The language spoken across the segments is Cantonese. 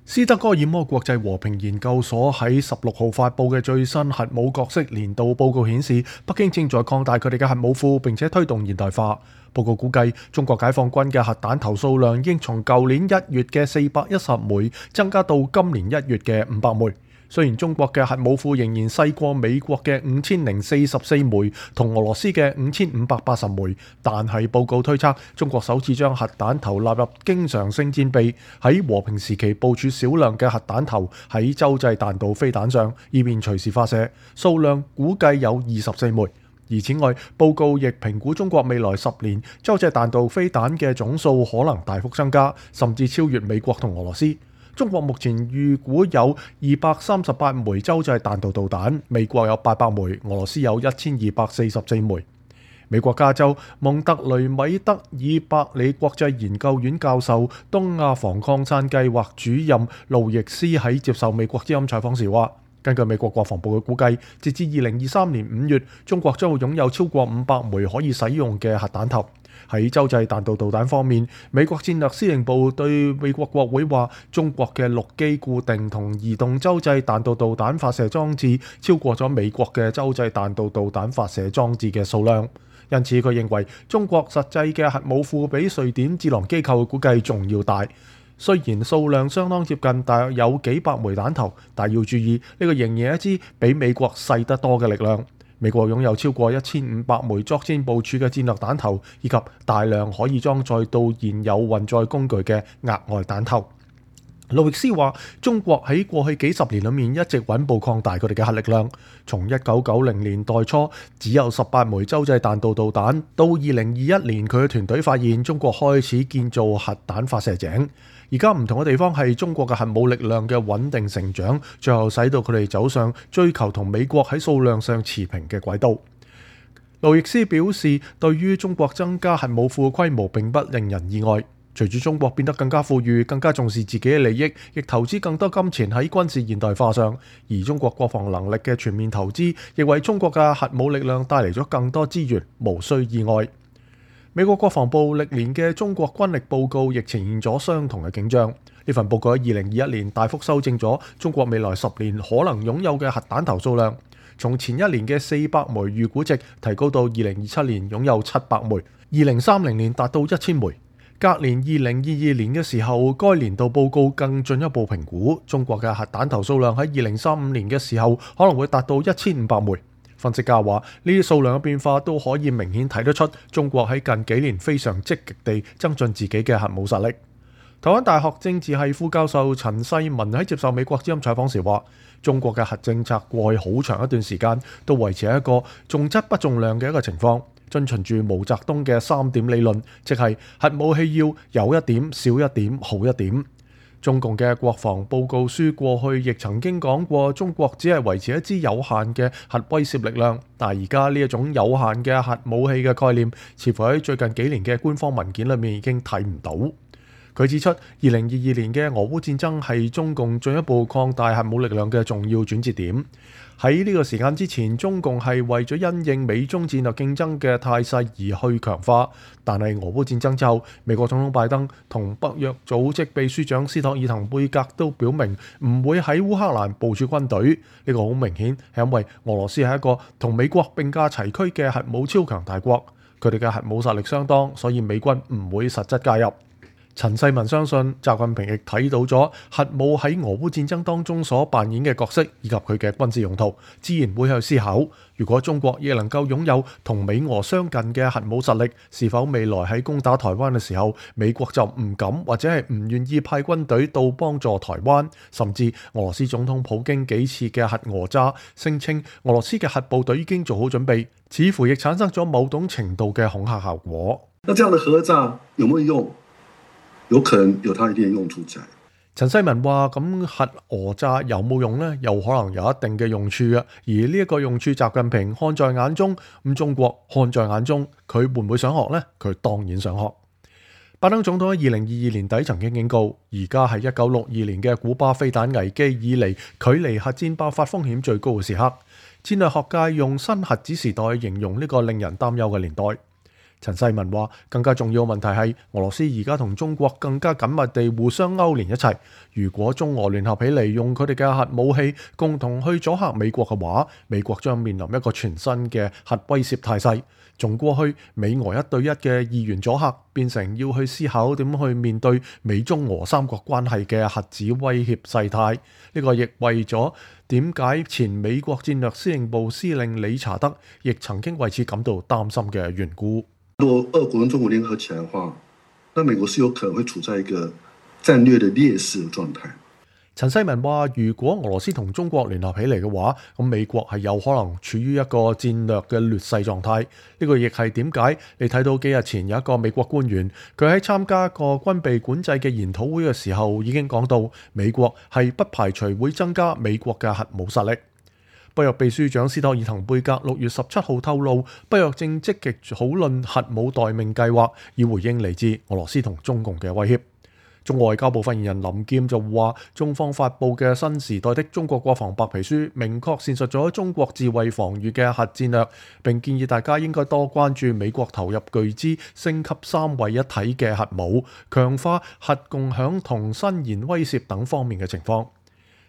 斯德哥爾摩國際和平研究所喺16號發布嘅最新核武角色年度報告顯示，北京正在擴大佢哋嘅核武庫，並且推動現代化。報告估計，中國解放軍嘅核彈頭數量已經從舊年1月嘅410枚增加到今年1月嘅500枚。雖然中國嘅核武庫仍然細過美國嘅5044枚同俄羅斯嘅5580枚，但係報告推測，中國首次將核彈頭納入經常性戰備，喺和平時期部署少量嘅核彈頭喺洲際彈道飛彈上，以便隨時發射，數量估計有24枚。而此外，報告亦評估中國未來10年洲際彈道飛彈嘅總數可能大幅增加，甚至超越美國同俄羅斯。中國目前預估有238枚洲際彈道導彈，美國有800枚，俄羅斯有1244枚。美國加州蒙特雷米德爾伯里國際研究院教授、東亞防擴散計劃主任路易斯喺接受美國之音採訪時話，根據美國國防部嘅估計，截至2023年5月，中國將會擁有超過500枚可以使用嘅核彈頭。喺洲際彈道導彈方面，美國戰略司令部對美國國會話，中國嘅陸基固定同移動洲際彈道導彈發射裝置超過咗美國嘅洲際彈道導彈發射裝置嘅數量，因此佢認為中國實際嘅核武庫比瑞典智囊機構估計仲要大。雖然數量相當接近，大約有幾百枚彈頭，但要注意呢個仍然係一支比美國細得多嘅力量。美國擁有超過1500枚作戰部署嘅戰略彈頭，以及大量可以裝載到現有運載工具嘅額外彈頭。路易斯話，中國喺過去幾十年裏面一直穩步擴大佢哋嘅核力量，從1990年代初只有18枚洲際彈道導彈，到2021年佢嘅團隊發現中國開始建造核彈發射井。而家唔同嘅地方係中國嘅核武力量嘅穩定成長，最後使到佢哋走上追求同美國喺數量上持平嘅軌道。路易斯表示，對於中國增加核武庫規模並不令人意外。隨住中國變得更加富裕，更加重視自己嘅利益，亦投資更多金錢喺軍事現代化上，而中國國防能力嘅全面投資亦為中國嘅核武力量帶嚟咗更多資源，無需意外。美國國防部歷年嘅中國軍力報告亦呈現咗相同嘅景象。呢份報告喺2021年大幅修正咗中國未來10年可能擁有嘅核彈頭數量，從前一年嘅400枚預估值提高到2027年擁有700枚，2030年達到1000枚。隔年2022年嘅時候，該年度報告更進一步評估中國嘅核彈頭數量喺2035年嘅時候可能會達到1500枚。分析家話，呢啲數量嘅變化都可以明顯睇得出中國喺近幾年非常積極地增進自己嘅核武實力。台灣大學政治系副教授陳世文喺接受美國之音採訪時話，中國嘅核政策過去好長一段時間都維持一個重質不重量嘅一個情況，遵循住毛澤東嘅3點理論，即係核武器要有一點、少一點、好一點。中共嘅國防報告書過去亦曾經講過，中國只係維持一支有限嘅核威懾力量，但係而家呢一種有限嘅核武器嘅概念，似乎喺最近幾年嘅官方文件裏面已經睇唔到。佢指出，2022年嘅俄烏戰爭係中共進一步擴大核武力量嘅重要轉折點。喺呢個時間之前，中共係為咗因應美中戰略競爭嘅態勢而去強化，但係俄烏戰爭之後，美國總統拜登同北約組織秘書長斯托爾滕貝格都表明唔會喺烏克蘭部署軍隊。呢個好明顯係因為俄羅斯係一個同美國並駕齊驅嘅核武超強大國，佢哋嘅核武實力相當，所以美軍唔會實質介入。陳世文相信習近平亦睇到咗核武喺俄烏戰爭當中所扮演嘅角色，以及佢嘅軍事用途，自然會去思考，如果中國亦能夠擁有同美俄相近嘅核武實力，是否未來喺攻打台灣嘅時候，美國就唔敢或者係唔願意派軍隊到幫助台灣，甚至俄羅斯總統普京幾次嘅核訛詐，聲稱俄羅斯嘅核部隊已經做好準備，似乎亦產生咗某種程度嘅恐嚇效果。那這樣的核詐有冇用？有可能有它一定的用處在。陳世文話：咁核訛詐有冇用呢？有可能有一定嘅用處嘅，而呢一個用處，習近平看在眼中，咁中國看在眼中，佢會唔會想學呢？佢當然想學。拜登總統喺2022年底曾經警告，而家係1962年嘅古巴飛彈危機以嚟，距離核戰爆發風險最高嘅時刻。戰略學界用新核子時代形容呢個令人擔憂嘅年代。陳世文話：更加重要嘅問題係俄羅斯而家同中國更加緊密地互相勾連一齊。如果中俄聯合起嚟用佢哋嘅核武器共同去阻嚇美國嘅話，美國將面臨一個全新嘅核威脅態勢。從過去美俄1對1嘅二元阻嚇，變成要去思考點去面對美中俄三國關係嘅核子威脅勢態。呢個亦為咗點解前美國戰略司令部司令理查德亦曾經為此感到擔心嘅緣故。如果俄國跟中國聯合起來的話，那美國是有可能會處在一個戰略的劣勢嘅狀態。陳世文話：如果俄羅斯同中國聯合起嚟嘅話，咁美國係有可能處於一個戰略嘅劣勢狀態。呢個亦係點解你睇到幾日前有一個美國官員，佢喺參加個軍備管制嘅研討會嘅時候已經講到，美國係不排除會增加美國嘅核武實力。北約秘書長斯托爾滕貝格6月17號透露，北約正積極討論核武待命計劃，以回應嚟自俄羅斯同中共嘅威脅。中外交部發言人林劍就話，中方發布嘅新時代的中國國防白皮書，明確闡述咗中國自衛防禦嘅核戰略，並建議大家應該多關注美國投入巨資升級三位一體嘅核武，強化核共享同伸延威懾等方面嘅情況。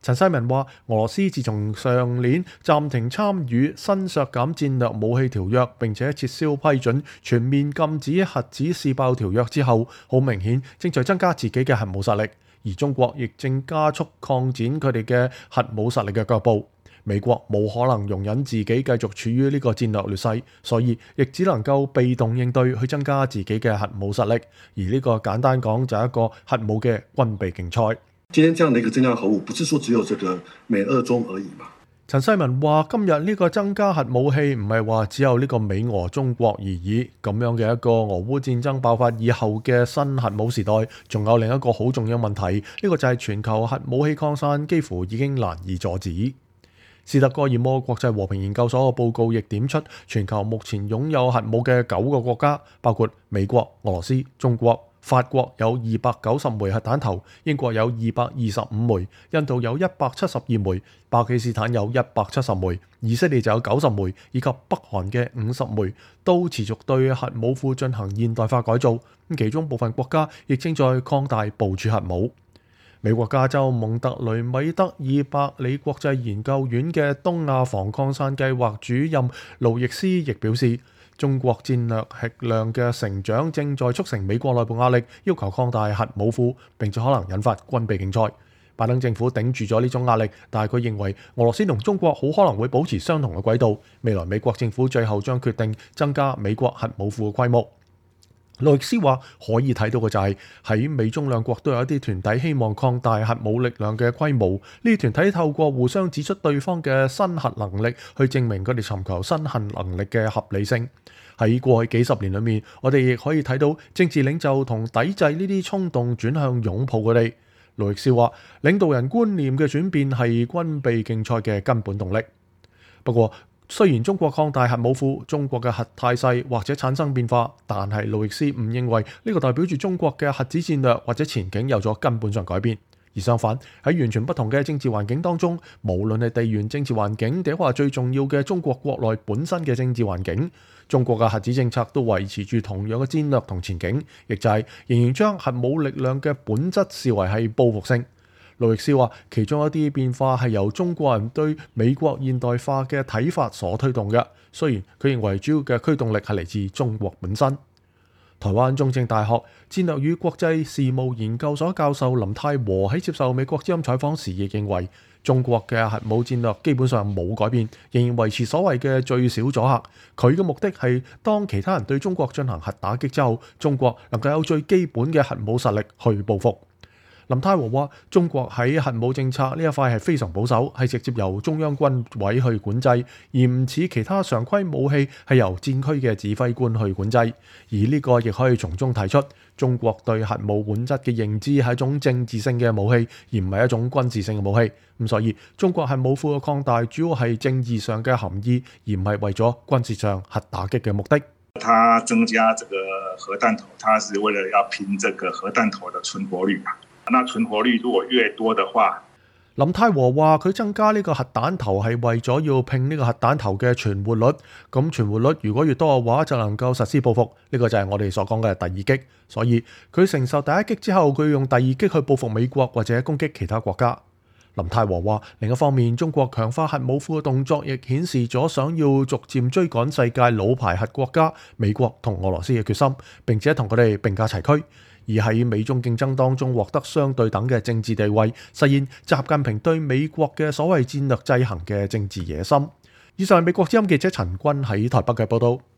陳世文話：俄羅斯自從上年暫停參與新削減戰略武器條約，並且撤銷批准全面禁止核子試爆條約之後，好明顯正在增加自己嘅核武實力，而中國亦正加速擴展佢哋嘅核武實力嘅腳步。美國冇可能容忍自己繼續處於呢個戰略劣勢，所以亦只能夠被動應對去增加自己嘅核武實力。而呢個簡單講就係一個核武嘅軍備競賽。今天這樣的一個增加核武，不是說只有這個美俄中而已嘛？陳世文話：今日呢個增加核武器唔係話只有呢個美俄中國而已，咁樣嘅一個俄烏戰爭爆發以後嘅新核武時代，仲有另一個好重要問題，呢個就係全球核武器擴散幾乎已經難以阻止。斯德哥爾摩國際和平研究所嘅報告亦點出，全球目前擁有核武嘅9個國家，包括美國、俄羅斯、中國、法國有290枚核彈頭，英國有225枚，印度有172枚，巴基斯坦有170枚，以色列就有90枚，以及北韓嘅50枚，都持續對核武庫進行現代化改造。其中部分國家亦正在擴大部署核武。美國加州蒙特雷米德爾伯里國際研究院嘅東亞防擴散計劃主任盧易斯亦表示，中國戰略核量嘅成長正在促成美國內部壓力，要求擴大核武庫，並且可能引發軍備競賽。拜登政府頂住咗呢種壓力，但係佢認為俄羅斯同中國好可能會保持相同嘅軌道。未來美國政府最後將決定增加美國核武庫嘅規模。路易斯話可以睇到嘅就係喺美中兩國都有一啲團體希望擴大核武力量嘅規模，呢啲團體透過互相指出對方嘅新核能力，去證明佢哋尋求新核能力嘅合理性。喺過去幾十年裏面，我哋亦可以睇到政治領袖同抵制呢啲衝動轉向擁抱佢哋。路易斯話領導人觀念嘅轉變係軍備競賽嘅根本動力。不過雖然中國擴大核武庫，中國嘅核態勢或者產生變化，但係路易斯唔認為呢個代表住中國嘅核子戰略或者前景有咗根本上改變。而相反，喺完全不同嘅政治環境當中，無論係地緣政治環境，定話最重要嘅中國國內本身嘅政治環境，中國嘅核子政策都維持住同樣嘅戰略同前景，亦就係仍然將核武力量嘅本質視為係報復性。路易斯話，其中一啲變化係由中國人對美國現代化嘅睇法所推動嘅。雖然佢認為主要嘅驅動力係嚟自中國本身。台灣中正大學戰略與國際事務研究所教授林泰和喺接受美國之音採訪時亦認為，中國嘅核武戰略基本上冇改變，仍然維持所謂嘅最小阻嚇。佢嘅目的係當其他人對中國進行核打擊之後，中國能夠有最基本嘅核武實力去報復。林泰和話：中國喺核武政策呢一塊係非常保守，係直接由中央軍委去管制，而唔似其他常規武器係由戰區嘅指揮官去管制。而呢個亦可以從中提出，中國對核武本質嘅認知係一種政治性嘅武器，而唔係一種軍事性嘅武器。咁所以中國核武庫嘅擴大主要係政治上嘅含義，而唔係為咗軍事上核打擊嘅目的。它增加這個核彈頭，它是為了要拼這個核彈頭的存活率嘛。那存活率如果越多的話，林泰和話佢增加呢個核彈頭係為咗要拼呢個核彈頭嘅存活率，咁存活率如果越多嘅話就能夠實施報復，呢個就係我哋所講嘅第二擊。所以佢承受第一擊之後，佢用第二擊去報復美國或者攻擊其他國家。林泰和話另一方面，中國強化核武庫嘅動作亦顯示咗想要逐漸追趕世界老牌核國家美國同俄羅斯嘅決心，並且同佢哋並駕齊驅，而喺美中競爭當中獲得相對等嘅政治地位，實現習近平對美國嘅所謂戰略制衡嘅政治野心。以上係美國之音記者陳君喺台北嘅報道。